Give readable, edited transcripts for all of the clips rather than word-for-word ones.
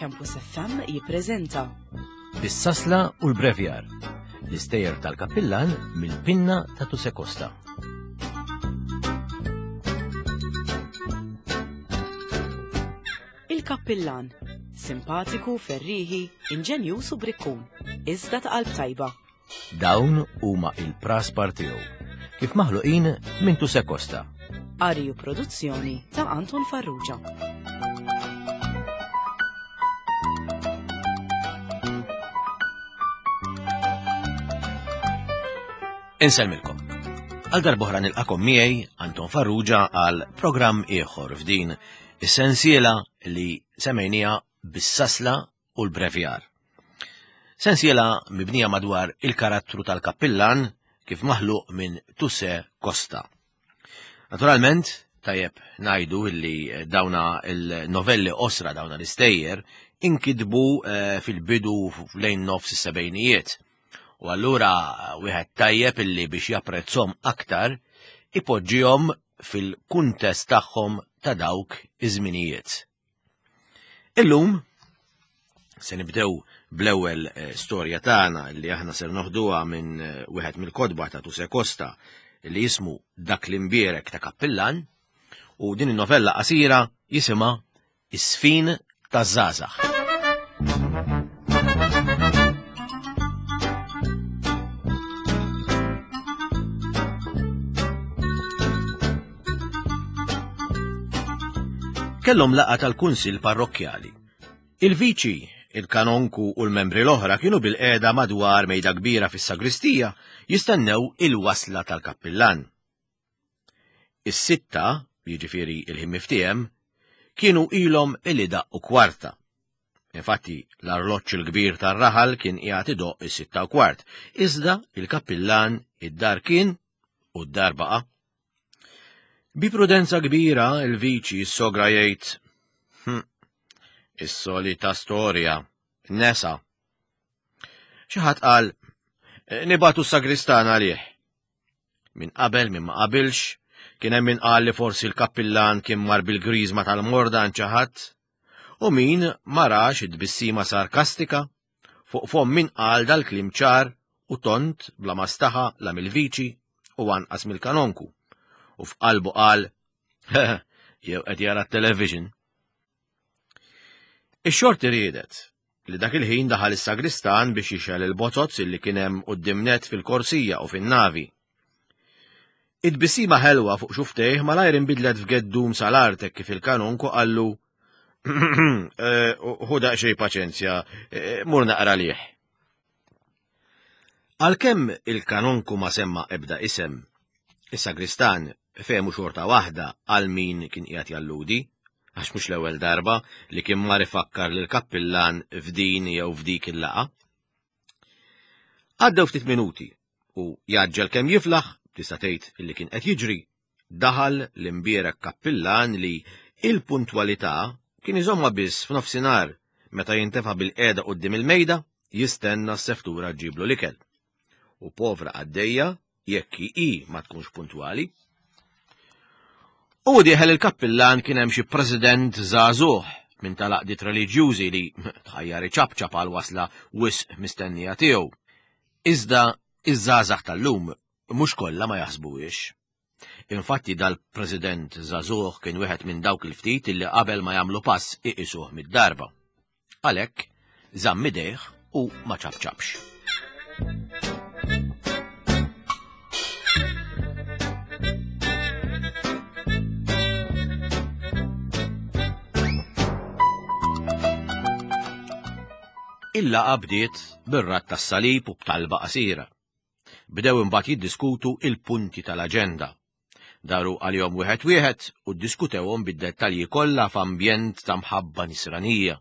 Campus FM jippreżenta Is-sasla u l-brevjar, l-istejjer tal-kappillan mill-pinna ta' Tuse Costa. Il-Kappillan, simpatiku, ferrieħi, inġenjuż u brikkun, iżda ta' qalb tajba. Dawn huma il-praspar tiegħu, kif maħluqin minn Tuse Costa. Qari u produzzjoni ta' Anton Farrugia. Insellmilkom. Għal darbohra nilqakom miegħi Anton Farrugia għal programm ieħor f'din is-sensiela li semmejnija bis-sasla u l-brevjar. Sensiela mibnija madwar il-karattru tal-kappillan kif maħluq minn Tusse Costa. Naturalment, tajjeb najdu illi dawna il-novelli osra dawna l-istejjer inkidbu eh, fil-bidu lejn nofs is-sebejnijiet. U allura wieħed tajjeb illi biex japprezzhom aktar ipoġġihom fil-kuntest tagħhom ta' dawk iż-żminijiet. Illum se nibdew bl-ewwel eh, storja tagħna li aħna ser noħduha minn eh, wieħed mill-kotba ta' Tuse Costa li jismu Dak l-imbierek ta' Kappillan u din in-novella qasira jisimha Is-sfin taż-żgħażagħ. Kellhom laqgħa tal-Kunsill Parrokkjali. Il-viċi, il-kanonku u l-membri l-oħra kienu bil-qiegħda madwar mejda kbira fis-sagristija jistennew il-wasla tal-kappillan. Is-sitta, jiġifieri il-ħin miftiehem, kienu ilhom illi daqqu kwarta. Infatti, l-arloġġ il-kbir tar-raħal kien qiegħed idoqq is-6:15, iżda il-kappillan id-dar kien u d-dar baqa'. Bi prudenza kbira il-viċi s-sogra jgħid, hm, is-solita storja, nesa. Xi ħadd qal, nibatu s-sagristan għalih. Min qabel, min ma qabilx, kien hemm min qal li forsi l-kappillan kien mar bil-griżma tal-morda għand xi ħadd, u min ma rax it-tbissima sarkastika fuq fomm min qal dal-kliem ċar u tond bla ma staħa la mill-viċi u anqas mill-kanonku, u f'qalbu qal, jew qed jara t-television. Ix-xorti riedet li dak il-ħin daħal is-sagristan biex jixgħel il-bozoz illi kien hemm quddiem nett fil-korsija u fin-navi. It-tbissima ħelwa fuq xuftejh malajr inbidlet f'geddum sal-art hekk kif il-kanonku qallu eh, Ħu daqsxejn paċenzja, eh, mur naqra lih. Għalkemm il-kanonku ma semma ebda isem, is-sagristan fehmu xorta waħda għal min kien qiegħed jalludi, għax mhux l-ewwel darba li kien mar ifakkar lill-kappillan f'din jew f'dik il-laqgħa. Għaddew ftit minuti u jgħaġġel kemm jiflaħ, tista' tgħid li kien qed jiġri, daħal l-imbierek kappillan li il-puntwalità kien iżommha biss f'nofsinhar meta jintefa' bilqiegħda quddiem il-mejda jistenna s-seftura ġġiblu l-ikel. U povra qaddejja jekk hi ma tkunx puntwali. U dieħel il-kappillan kien hemm xi president żagħżugħ minn tal-għaqdiet reliġjużi li tħajjar iċapċap għal wasla wisq mistennija tiegħu. Iżda iż-żgħażagħ tal-lum mhux kollha ma jaħsbuhiex. Infatti dal-President żagħżugħ kien wieħed minn dawk il-ftit illi qabel ma jagħmlu pass iqisuh mid-darba. Għalhekk żamm idejh u ma ċapċapx. Il-laqgħa bdiet bir-radd tas-salib u b'talba qasira. Bdew imbagħad jiddiskutu il-punti tal-aġenda. Daru għalihom wieħed wieħed u ddiskutewhom bid-dettalji kollha f'ambjent ta' mħabba nisranija.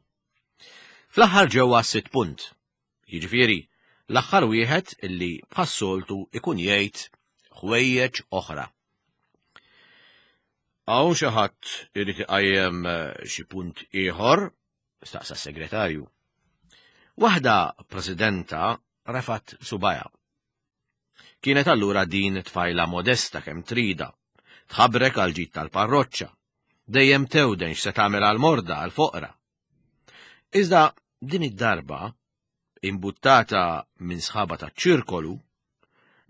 Fl-aħħar ġew għas-sitt punt. Jiġifieri, l-aħħar wieħed illi bħas-soltu ikun jgħid ħwejjeġ oħra. Hawn xi ħadd irid iqajjem eh, xi punt ieħor? staqsa s-segretarju. Waħda presidenta refat subajha. Kienet allura din tfajla modesta kemm trida, tħabrek għal ġid tal-parroċċa, dejjem tewden x'se tagħmel għal morda għal foqra. Iżda din id-darba, imbuttata minn sħaba taċ-ċirkolu,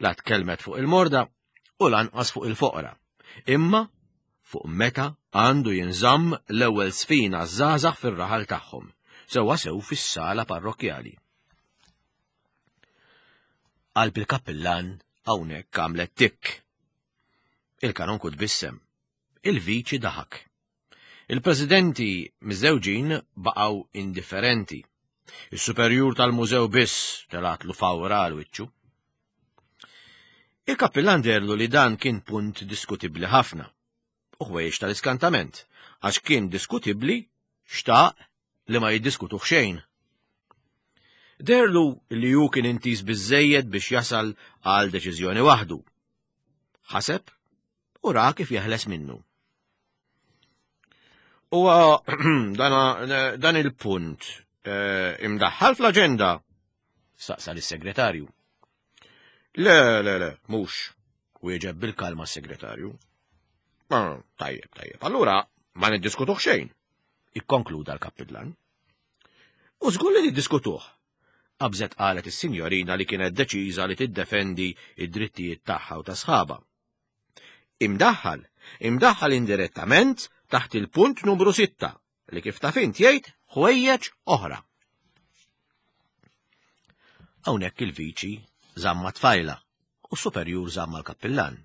la tkellmet fuq il-morda u lanqas fuq il-foqra, imma fuq meta għandu jinżamm l-ewwel żfin għaż-żgħażagħ fir-raħal tagħhom, sewwasew fis-sala parrokkjali. Qalb il-kappillan hawnhekk għamlet tikk. Il-kanonku tbissem. Il-viċi daħak. Il-presidenti miżżewġin baqgħu indifferenti. Is-superjur tal-mużew biss telatlu fawra għal wiċċu. Il-kappillan derlu li dan kien punt diskutibbli ħafna. U ħwejjeġ tal-iskantament, għax kien diskutibbli xtaq li ma jiddiskutuh xejn. Derlu li hu kien intiż biżżejjed biex jasal għal deċiżjoni waħdu. Ħaseb u ra kif jeħles minnu. U dan il-punt eh, imdaħħal fl-aġenda, saqsa lis-segretarju. Le, le, le, mhux, wieġeb bil-kalma s-segretarju. Ah, tajjeb, tajjeb. Allura ma niddiskutuh xejn, ikkonkluda l-kappillan. U żgur li niddiskutuh, qabżet qalet is-sinjorina li kienet deċiża li tiddefendi id-drittijiet tagħha u ta' sħaba. Imdaħħal, imdaħħal indirettament taħt il-punt numru 6 li kif taf int jgħid ħwejjeġ oħra. Hawnhekk il-viċi żamma tfajla u s-superjur żamma l-kappillan.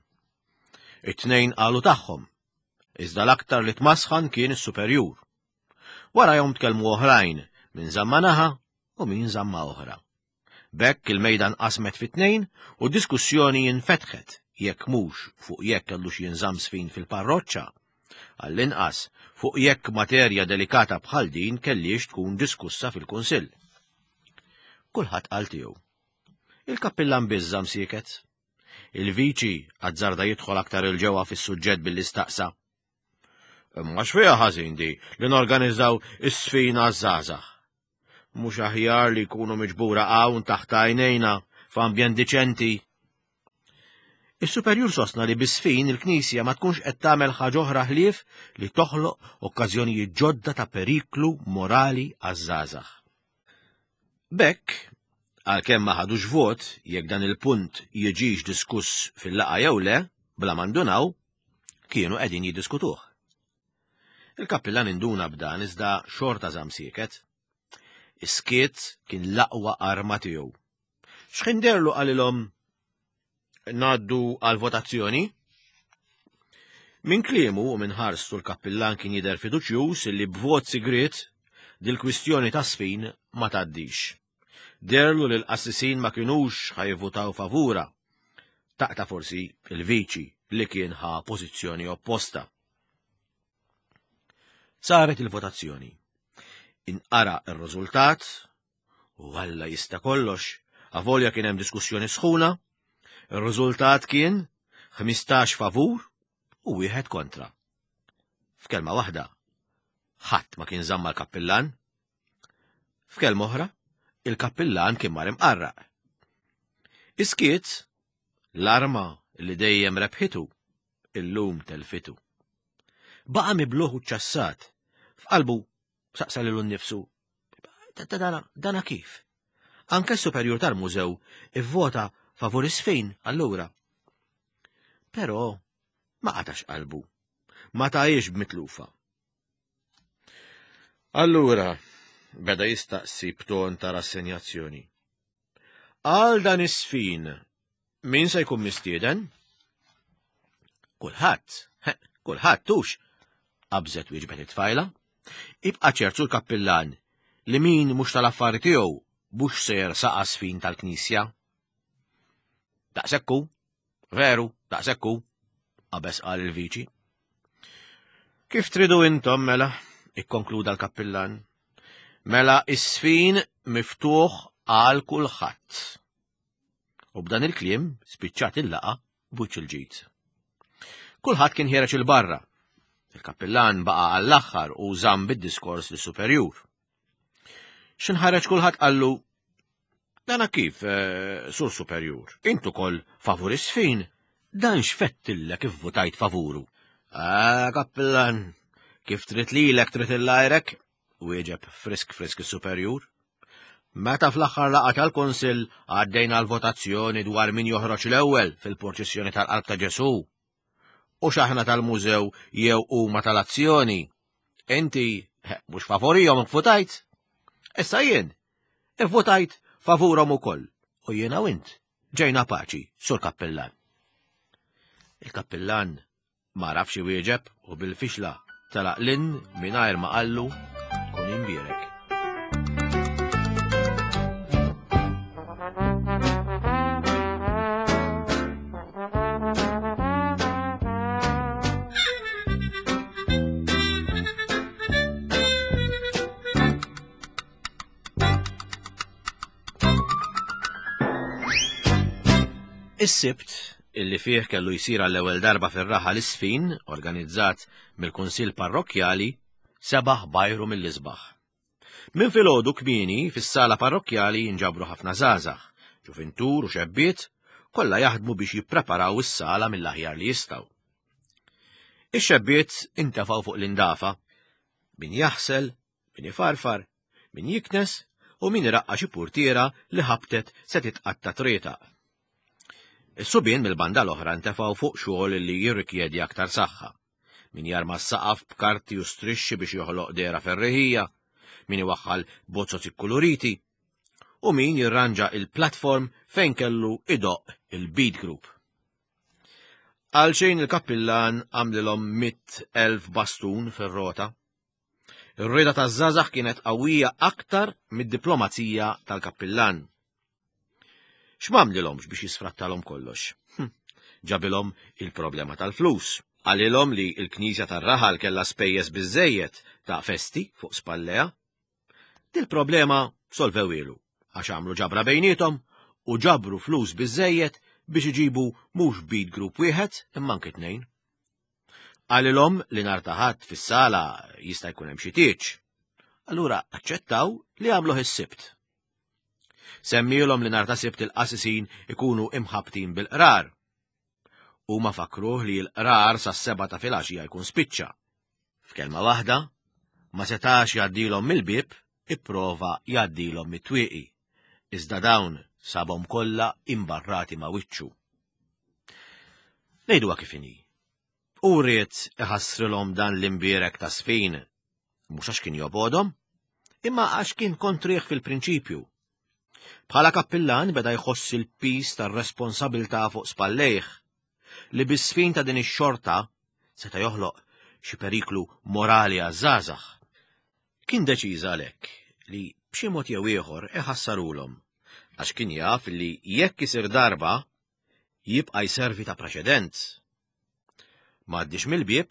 It-tnejn qalu tagħhom, iżda l-aktar li tmasħan kien is-superjur. Warajhom tkellmu oħrajn, min żamma naħa u min żamma oħra. B'hekk il-mejda nqasmet fi tnejn u diskussjoni infetħet jekk mhux fuq jekk kellux jinżamm sfin fil-parroċċa, għall-inqas fuq jekk materja delikata bħal din kellhiex tkun diskussa fil-Kunsill. Kulħadd qal tiegħu. Il-kappillan biss żamm sieket. Il-viċi azzarda jidħol aktar 'il ġewwa fis-suġġett billi staqsa. Imma x'fiha ħażin di li norganizzaw is-sfina għaż-żgħażagħ? Mhux aħjar li jkunu miġbura hawn taħt għajnejna f'ambjent diċenti? Is-superjur sostna li bis-sfin il-Knisja ma tkunx qed tagħmel ħaġa oħra ħlief li toħloq okkażjonijiet ġodda ta' periklu morali għaż-żgħażagħ. B'hekk, għalkemm ma ħadux vot jekk dan il-punt jiġix diskuss fil-laqgħa jew le, bla ma ndunaw, kienu qegħdin jiddiskutuh. Il-kappillan induna b'dan iżda xorta żamm sieket. Is-skiet kien l-aqwa arma tiegħu. X'ħin derlu qalilhom ngħaddu għal votazzjoni? Minn kliemu u minn ħarstu l-kappillan kien jidher fiduċjuż illi b'vot sigriet dil-kwistjoni ta' sfin ma tgħaddix. Derlu li l-qassisin ma kinux ħajvutaw favura. Taqta' forsi il-viċi li kien ħa pożizzjoni opposta. Saret il-votazzjoni. Inqara r-riżultat u Alla jista' kollox, avolja kien hemm diskussjoni sħuna, ir-riżultat kien 15 favur u wieħed kontra. F'kelma waħda, ħadd ma kien żamma l-kappillan. F'kelma oħra, il-kappillan kien mar imqarraq. Iskiet, l-arma li dejjem rebħitu, illum telfitu. Baqa' mibluh u ċċassat. F'qalbu saqsa lilu nnifsu, dana, dana kif? Anke s-superjur tal-mużew ivvota favur is-sfin allura. Però ma qatax qalbu. Ma tajiex b'mitlufa. Allura, beda jistaqsi b'ton ta' rassenjazzjoni. Għal dan is-sfin, min se jkun mistieden? Kulħadd, kulħadd tux, qabżet wieġbet it-tfajla. Ibqa' ċertu l-kappillan li min mhux tal-affari tiegħu mhux se jersaqa sfin tal-knisja. Daqshekk hu, veru, daqshekk hu, qabeż qal il-viċi. Kif tridu intom mela, ikkonkluda l-kappillan. Mela is-sfin miftuħ għal kulħadd. U b'dan il-kliem spiċċat il-laqa b'wiċċ il-ġid. Kulħadd kien ħiereġ il-barra. Il-kappillan baqa' għall-aħħar u żamm bid-diskors lis-superjur. X'inħareġ kulħadd qallu Dana kif, eh, sur superjur, intu kol favur is-sfin, dan x'fettillek ivvutajt favuru. Ah, kappillan, kif trid lilek trid il-lajrek? wieġeb frisk frisk is-superjur. Meta fl-aħħar laqgħa tal-Kunsill għaddejna l-votazzjoni dwar min joħroġ l-ewwel fil-purċissjoni tal-Qalb ta' Ġesù. U x'aħna tal-mużew jew huma tal-azzjoni. Inti mhux favorihom ivvutajt. Issa jien ivvutajt favurhom ukoll u jiena u int ġejna paċi, sur kappillan. Il-kappillan Ma għarafx iwieġeb u bil-fixla telaq lin mingħajr ma qallu kun imbierek. Is-Sibt, illi fih kellu jsir għall-ewwel darba fir-raħal is-sfin organizzat mill-Kunsill Parrokkjali, sebaħ bajru mill-isbaħ. Minn filgħodu kmieni fis-sala parrokkjali jinġabru ħafna żgħażagħ, ġuvintur u xebbiet, kollha jaħdmu biex jippreparaw is-sala mill-aħjar li jistgħu. Ix-xebbiet intefgħu fuq l-indafa, min jaħsel, min ifarfar, min jiknes u min iraqqa xi purtiera li ħabtet se titqatta' trietaq. Is-subien mill-banda l-oħra ntefgħu fuq xogħol li jirrikjedi aktar saħħa. Min jarma s-saqaf b'karti u strixxi biex joħloq dehra ferriħija, min iwaħħal bozoz ikkuluriti, u min jirranġa il-platform fejn kellu idoqq il-beat group. Għalxejn il-kappillan għamlilhom 100,000 bastun fir-rota. Ir-rieda taż-żgħażagħ kienet qawwija aktar mid-diplomazija tal-kappillan. X'm'għamlilhomx biex jisfrattalhom kollox? Hm, ġabilhom il-problema tal-flus. Qalilhom li l-knisja tar-raħal kellha spejjeż biżżejjed ta' festi fuq spallejha. Dil-problema solvewhielu għax għamlu ġabra bejniethom u ġabru flus biżżejjed biex iġibu mhux beat group wieħed imma anki tnejn. Qalilhom li nhar ta' Ħadd fis-sala jista' jkun hemm xi tieġ. Allura aċċettaw li jagħmluh is-Sibt. Semmielhom li nhar ta' Sibt il-qasisin ikunu imħabbtin bil-qrar. Huma fakkruh li l-qrar sas-sebgħa ta' filgħaxija jkun spiċċa. F'kelma waħda, ma setax jgħaddilhom mill-bieb, ipprova jgħaddilhom mit-twieqi, iżda dawn sabhom kollha imbarrati ma' wiċċu. Ngħiduha kif inhi. Hu ried iħassrilhom dan l-imbierek ta' sfin, mhux għax kien jobgħodhom, imma għax kien kontrih fil-prinċipju. Bħala kappillan beda jħoss il-piż tar-responsabilità fuq spallejh, li bis-sfin ta' din ix-xorta seta' joħloq xi periklu morali għaż-żgħażagħ. Kien deċiż għalhekk li b'xi mod jew ieħor iħassarulhom, għax kien jaf li jekk isir darba jibqa' jservi ta' preċedent. M'għaddiex mill-bieb,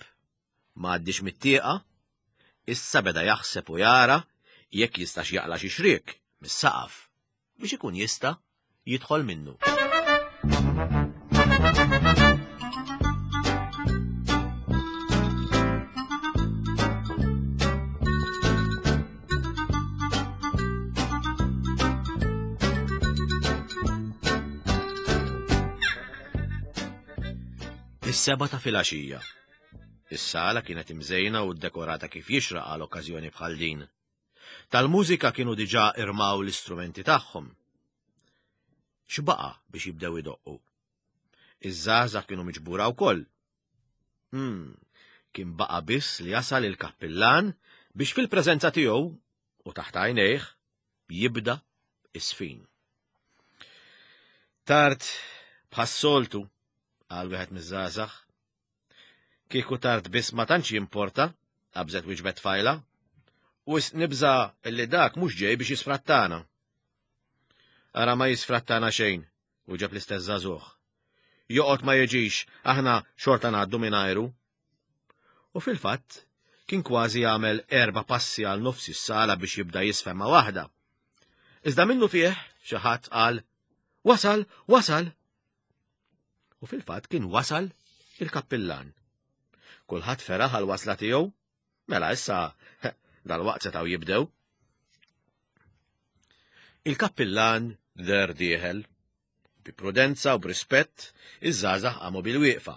m'għaddiex mit-tieqa, issa beda jaħseb u jara jekk jistax jaqla' xi xriek mis-saqaf biex ikun jista' jidħol minnu. Is-seba ta' filgħaxija. Is-sala kienet imżejna u ddekorata kif jixraq għal okkażjoni bħal din. Tal-mużika kienu diġà irmaw l-istrumenti tagħhom. X'baqa' biex jibdew idoqqu? Iż-żgħażagħ kienu miġbura wkoll. Hmm, kien baqa' biss li jasal il-kappillan biex fil-preżenza tiegħu u taħt għajnejh jibda is-sfin. Tard bħas-soltu, qal wieħed miż-żgħażagħ. Kieku tard biss ma tantx jimporta, qabżet wieġbet tfajla. Wisq nibża' li dak mhux ġej biex jisfrattana. Ara ma jisfrattana xejn, wieġeb l-istess żagħżugħ. Joqgħod ma jiġix, aħna xorta ngħaddu mingħajru. U fil-fatt, kien kważi għamel erba' passi għal nofs is-sala biex jibda jisfen ma' waħda. Iżda minnu fih xi ħadd qal, Wasal, wasal! U fil-fatt kien wasal il-kappillan. Kulħadd feraħ għal wasla tiegħu, mela issa dal-waqt setgħu jibdew. Il-kappillan der dieħel Bi prudenza u b'rispett, iż-żgħażagħ qamu bil-wieqfa.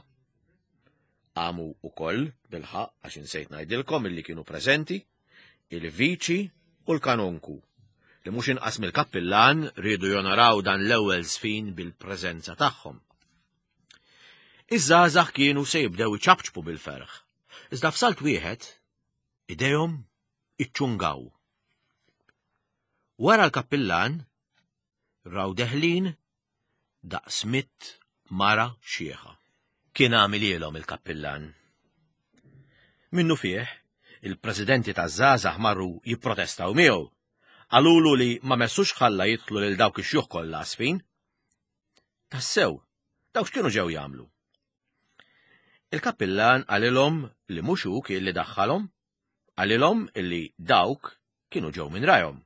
Qamu wkoll, bilħaqq għax insejt ngħidilkom illi kienu preżenti, il-viċi u l-kanonku, li mhux inqas mill-kappillan riedu jonoraw dan l-ewwel żfin bil-preżenza tagħhom. Iż-żgħażagħ kienu se jibdew iċapċpu bil-ferħ, iżda f'salt wieħed idejhom iċċungaw. Wara l-kappillan raw deħlin daqs mitt mara xieħa. Kien għamilielhom il-kappillan. Minnu fih, il-presidenti taż-żgħażagħ marru jipprotestaw miegħu. Qalulu li ma messux ħalla jidħlu lil dawk ix-xjuħ kollha għasfin. Tassew, dawk x'kienu ġew jagħmlu? Il-kappillan qalilhom li mhux hu kien li daħħalhom, Qalilhom illi dawk kienu ġew minn rajhom.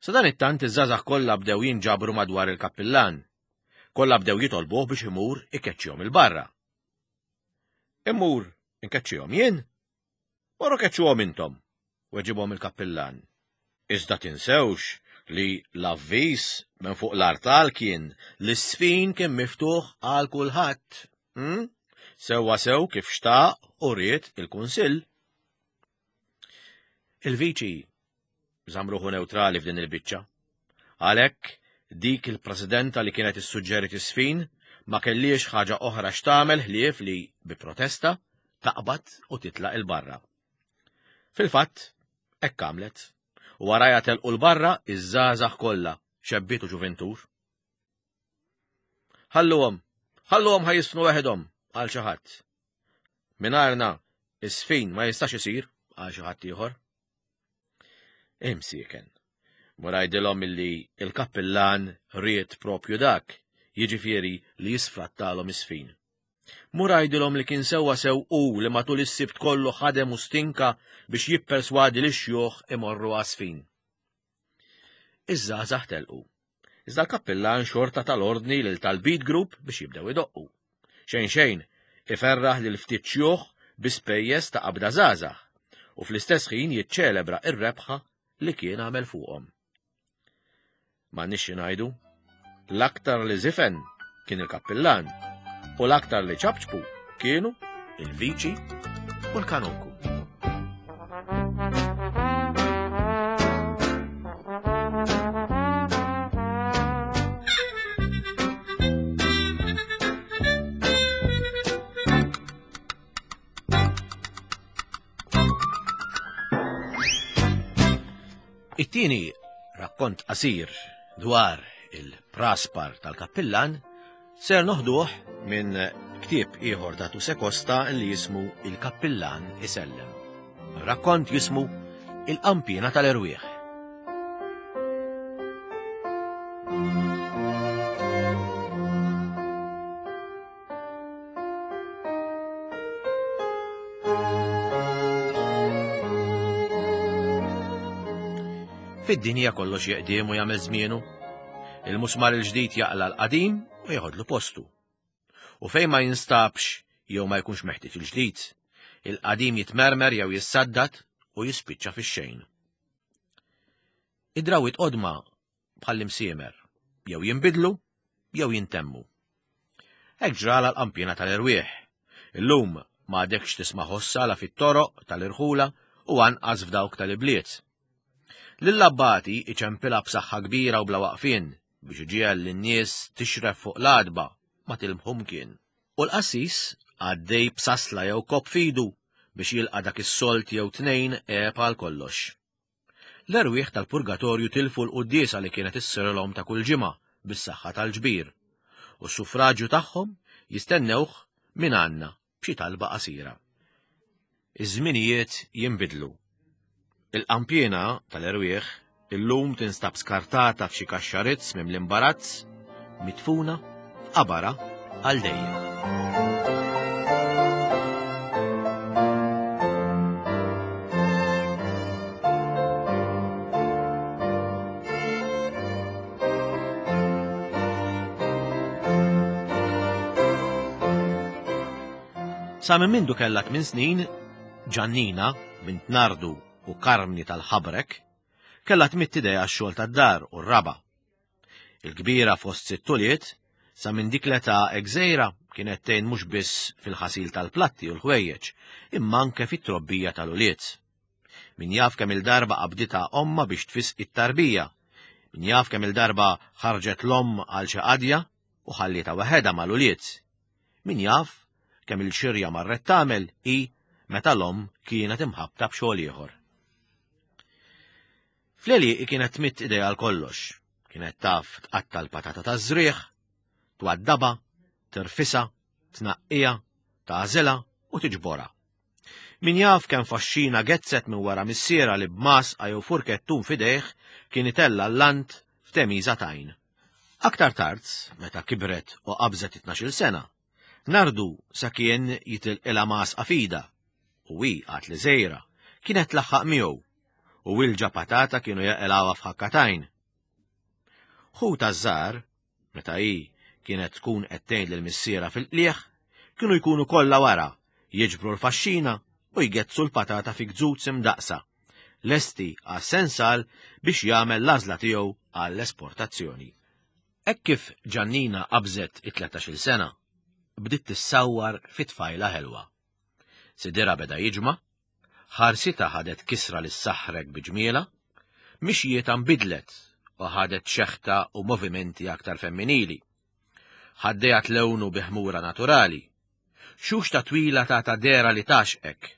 Sadanittant iż-żgħażagħ kollha bdew jinġabru madwar il-kappillan. Kollha bdew jitolbuh biex imur ikeċċihom 'il barra. Immur inkeċċihom jien? Morru keċċuhom intom, weġibhom il-kappillan. Iżda tinsewx li l-avviż minn fuq l-artal kien li s-sfin kien miftuħ għal kulħadd. Hmm? Sewwa sew kif xtaq u ried il-Kunsill. Il-Viċi żamm ruħu newtrali f'din il-biċċa. Għalhekk dik il-Presidenta li kienet issuġġeriet is-sfin ma kellhiex ħaġa oħra x'tagħmel ħlief li bi protesta taqbad u titlaq il-barra. Fil-fatt, hekk għamlet. U warajha telqu l-barra iż-żgħażagħ kollha, xebbiet u ġuventur. Ħalluhom, ħalluhom ħa jisfnu weħidhom, qal xi ħadd. Mingħajrna, is-sfin ma jistax isir, qal xi ħadd ieħor. Imsieken. Mur għidilhom illi il-kappillan ried propju dak, jiġifieri li jisfrattalhom is-sfin. Mur għidilhom li kien sewwa sew hu li matul is-Sibt kollu ħadem u stinka biex jipperswadi lix-xjuħ imorru għas-sfin. Iż-żgħażagħ telqu. Iżda l-kappillan xorta ta l-ordni lil tal-beat group biex jibdew idoqqu. Xejn xejn, iferraħ lil ftit xjuħ bi spejjeż ta' qabda żgħażagħ u fl-istess ħin jiċċelebra r-rebħa li kien għamel fuqhom. M'għandniex xi ngħidu, l-aktar li żifen kien il-kappillan u l-aktar li ċapċpu kienu il-viċi u l-kanonku. It-tieni rakkont qasir dwar il-praspar tal-kappillan ser noħduh minn ktieb ieħor ta' Tuse Costa li jismu Il-Kappillan Isellem. Rakkont jismu Il-Qampina tal-Erwieħ. Fid-dinja kollox jeqdiem u jagħmel żmienu. Il-musmar il-ġdid jaqla l-qadim u jeħodlu postu. U fejn ma jinstabx jew ma jkunx meħtieġ il-ġdid, il-qadim jitmermer jew jissaddad u jispiċċa fix-xejn. Id-drawwiet qodma bħall-imsiemer, jew jinbidlu jew jintemmu. Hekk ġralha l-qanpiena tal-erwieħ. Illum ma għadekx tisma' ħossha la fit-toroq tal-irħula u anqas f'dawk tal-ibliet. Lill-abbati iċempilha b'saħħa kbira u bla waqfien biex iġiegħel lin-nies tixref fuq l-għatba ma tilmħu mkien. U l-qassis għaddej b'sasla jew kopp f'idu biex jilqa' dak is-sold jew tnejn għeb għal kollox. L-erwieħ tal-purgatorju tilfu l-quddiesa li kienet issirilhom ta' kull ġimgħa bis-saħħa tal-ġbir, u s-suffraġju tagħhom jistennewh minn għandna b'xi talba qasira. Iż-żminijiet jinbidlu. Il-qanpiena tal-erwieħ illum tinstab skartata f'xi kaxxa rizz mimli imbarazz, midfuna f'qabarha għal dejjem. Sa minn mindu kellha tmien snin, Ġannina, bint Nardu u Karmni tal-Ħabrek, kellha tmidd idejha għax-xogħol tad-dar u r-raba'. Il-kbira fost sitt ulied, sa minn dik l-età hekk żgħira kienet tgħin mhux biss fil-ħasil tal-platti u l-ħwejjeġ, imma anke fit-trobbija tal-ulied. Min jaf kemm il-darba qabditha ommha biex tfisqi t-tarbija. Min jaf kemm il-darba ħarġet l-omm għal xi qadja u ħallietha waħedha mal-ulied. Min jaf kemm il-xirja marret tagħmel hi meta l-omm kienet imħabbta b'xogħol ieħor. Fl-għelieqi kienet tmidd idejha għal kollox. Kienet taf tqatta' l-patata taż-żrigħ, twaddabha, tirfisha, tnaqqiha, tagħżilha u tiġborha. Min jaf kemm faxxina gezzet minn wara missierha li b'masqa jew furkettun f'idejh kien itella' l-lant f'temiża t'għajn. Aktar tard, meta kibret u qabżet it-tnax-il sena, Nardu sa kien jitilqilha m'għasqa f'idha, u hi, għad li żgħira, kienet tlaħħaq miegħu, u wilġa patata kienu jaqilgħuha f'ħakka t'għajn. Ħutha ż-żgħar, meta hi kienet tkun qed tgħin lil missierha fil-qligħ, kienu jkunu kollha wara, jiġbru l-faxxina u jgezzu l-patata fi gzuz imdaqqsa, lesti għas-sensal biex jagħmel l-għażla tiegħu għall-esportazzjoni. Hekk kif Ġannina qabżet it-tlettax-il sena, bdiet tissawwar fi tfajla ħelwa. Sidirha beda jiġma', ħarsitha ħadet kisra li ssaħħrek bi ġmielha, mixjietha nbidlet u ħadet xeħta u movimenti aktar femminili. Ħaddejha tlewnu bi ħmura naturali. Xuxta twila tagħta dehra li tgħaxqek.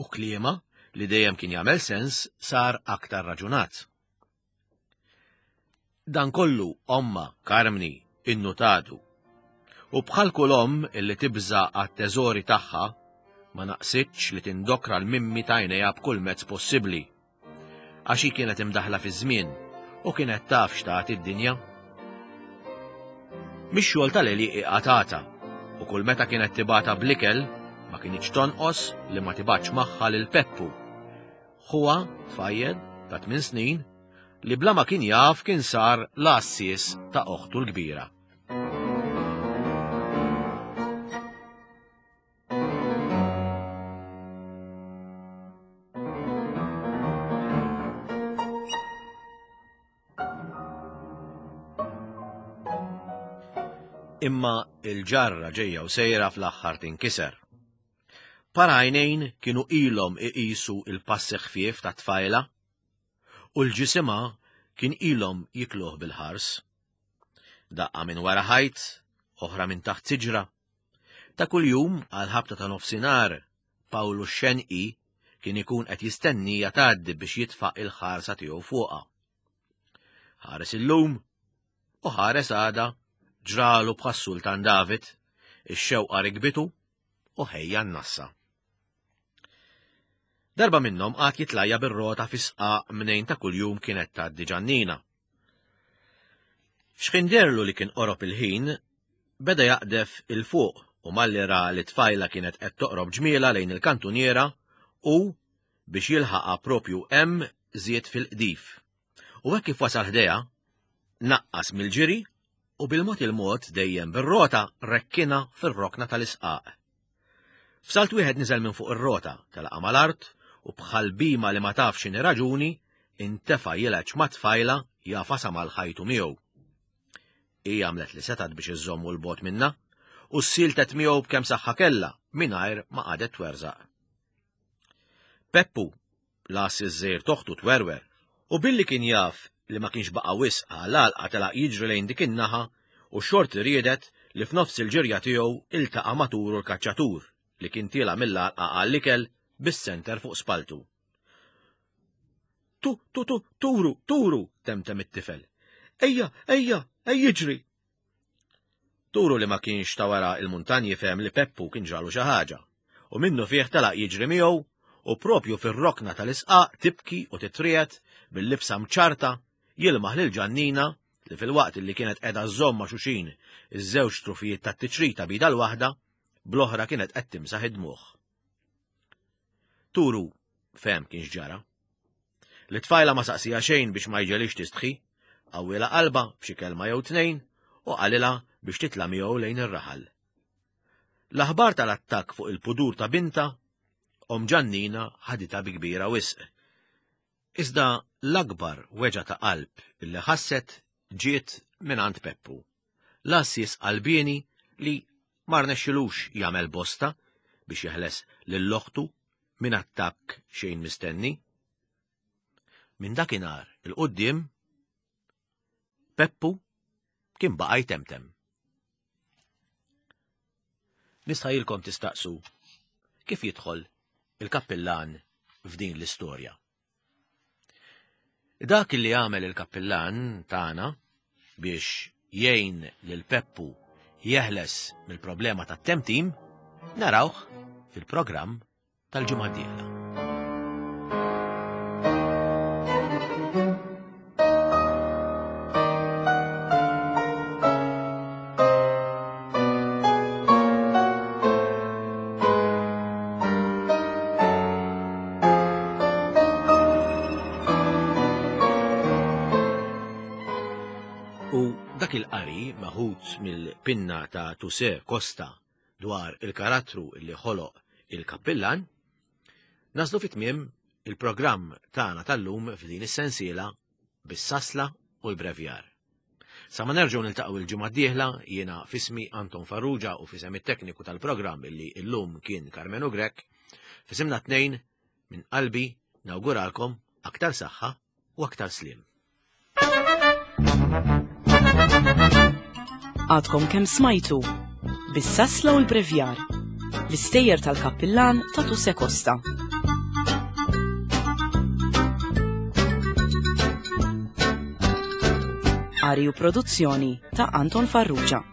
U kliemha, li dejjem kien jagħmel sens, sar aktar raġunat. Dan kollu ommha, Karmni, innutatu. U bħal kull omm illi tibża' għat-teżori tagħha, ma naqsitx li tindokra l-mimmi t'għajnejha b'kull mezz possibbli. Għax hi kienet imdaħħla fiż-żmien u kienet taf x'tagħti d-dinja. Mix-xogħol tal-għelieqi qatgħatha u kull meta kienet tibgħatha bl-ikel ma kinitx tonqos li ma tibgħatx magħha lil Peppu Ħuha, tfajjel, ta' tmin snin, li bla ma kien jaf kien sar l-għassies ta' oħtu l-kbira. Imma il-ġarra ġejja u sejra fl-aħħar tinkiser. Par għajnejn kienu ilhom iqisu l-passi ħfief tat-tfajla u l-ġisimha kien ilhom jikluh bil-ħars. Daqqa minn wara ħajt, oħra minn taħt siġra. Ta' kuljum għal ħabta ta' nofsinhar, Pawlu x-Xenqi kien ikun qed jistennija tgħaddi biex jitfa' il-ħarsa tiegħu fuqha. Ħares illum u ħares għada ġralu bħas-Sultan David, ix-xewqa rikbitu u ħejja n-nassa. Darba minnhom qagħad jitlajja bir-rota fi sqaq mnejn ta' kuljum kienet tgħaddi Ġannina. X'ħin derlu li kien qorob il-ħin, beda jaqdef 'il fuq u malli ra li t-tfajla kienet qed toqrob ġmielha lejn il-kantuniera u, biex jilħaqha propju hemm, żied fil-qdif. U hekk kif wasal ħdejha, naqqas mill-ġiri u bil-mod il-mod dejjem bir-rota rekkinha fir-rokna tal-isqaq. F'salt wieħed niżel minn fuq ir-rota, telaqha mal-art u bħal bhima li ma taf x'inhi raġuni, intefa' jilgħeġ mat-tfajla jagħfasha mal-ħajtu miegħu. Hi għamlet li setgħet biex iżżommu 'l bogħod minnha u ssieltet miegħu b'kemm saħħa kellha mingħajr ma qagħdet twerżaq. Peppu, Las iż-żgħir t'oħtu twerwer, u billi kien jaf li ma kienx baqa' wisq għall-għalqa telaq jiġri lejn dik in-naħa u x-xorti riedet li f'nofs il-ġirja tiegħu iltaqa' ma' Turu l-kaċċatur li kien tiela' mill-għalqa għall-ikel bis-senter fuq spalltu. Tu, tu, tu, Turu, Turu, temtem it-tifel. Ejja, ejja, ejja iġri! Turu li ma kienx ta' wara il-muntanji fehem li Peppu kien ġralu xi ħaġa, u minnufih telaq jiġri miegħu u propju fir-rokna tal-isqaq tibki u titriegħed bil-libsa mċarrta jilmaħ lil Ġannina li filwaqt li kienet qiegħda żżomm ma' xuxin iż-żewġ trufijiet tat-tiċrita b'idha l-waħda, bl-oħra kienet qed timsaħ id-dmugħ. Turu fehem kien x'ġara. Lit-tfajla ma saqsiha xejn biex ma jġegħlhiex tistħi, qawwielha qalbha b'xi kelma jew tnejn u qalilha biex titla' miegħu lejn ir-raħal. L-aħbar tal-attakk fuq il-pudur ta' bintha, omm Ġannina ħaditha bi kbira wisq. Iżda l-akbar weġgħa ta' qalb illi ħasset ġiet mingħand Peppu, l-għassies qalbieni li ma rnexxilux jagħmel bosta biex jeħles lil oħtu. minn attakk xejn mistenni. Minn dakinhar 'il quddiem, Peppu kien baqa' jtemtem. Nistħajilkom tistaqsu kif jidħol il-kappillan f'din l-istorja. Dak li għamel il-kappillan tagħna biex jgħin lil Peppu jeħles mill-problema tat-temtim narawh fil-programm tal-ġimgħa d-dieħla. U dak il-qari meħud mill-pinna ta' Tuse Costa dwar il-karattru li ħoloq il-kappillan, naslu fi tmiem il-programm tagħna tal-lum f'din is-sensiela bis-sasla u l-brevjar. Sa ma nerġgħu niltaqgħu il-ġimgħa d-dieħla jiena fismi Anton Farrugia u fisem it-tekniku tal-programm illi illum kien Karmenu Grech, fisimna tnejn minn qalbi nawguralkom aktar saħħa u aktar sliem. Għadkom kemm smajtu bis-sasla u l-brevjar l-istejjer tal-kappillan ta' Tuse Costa. Qari u produzzjoni ta' Anton Farrugia.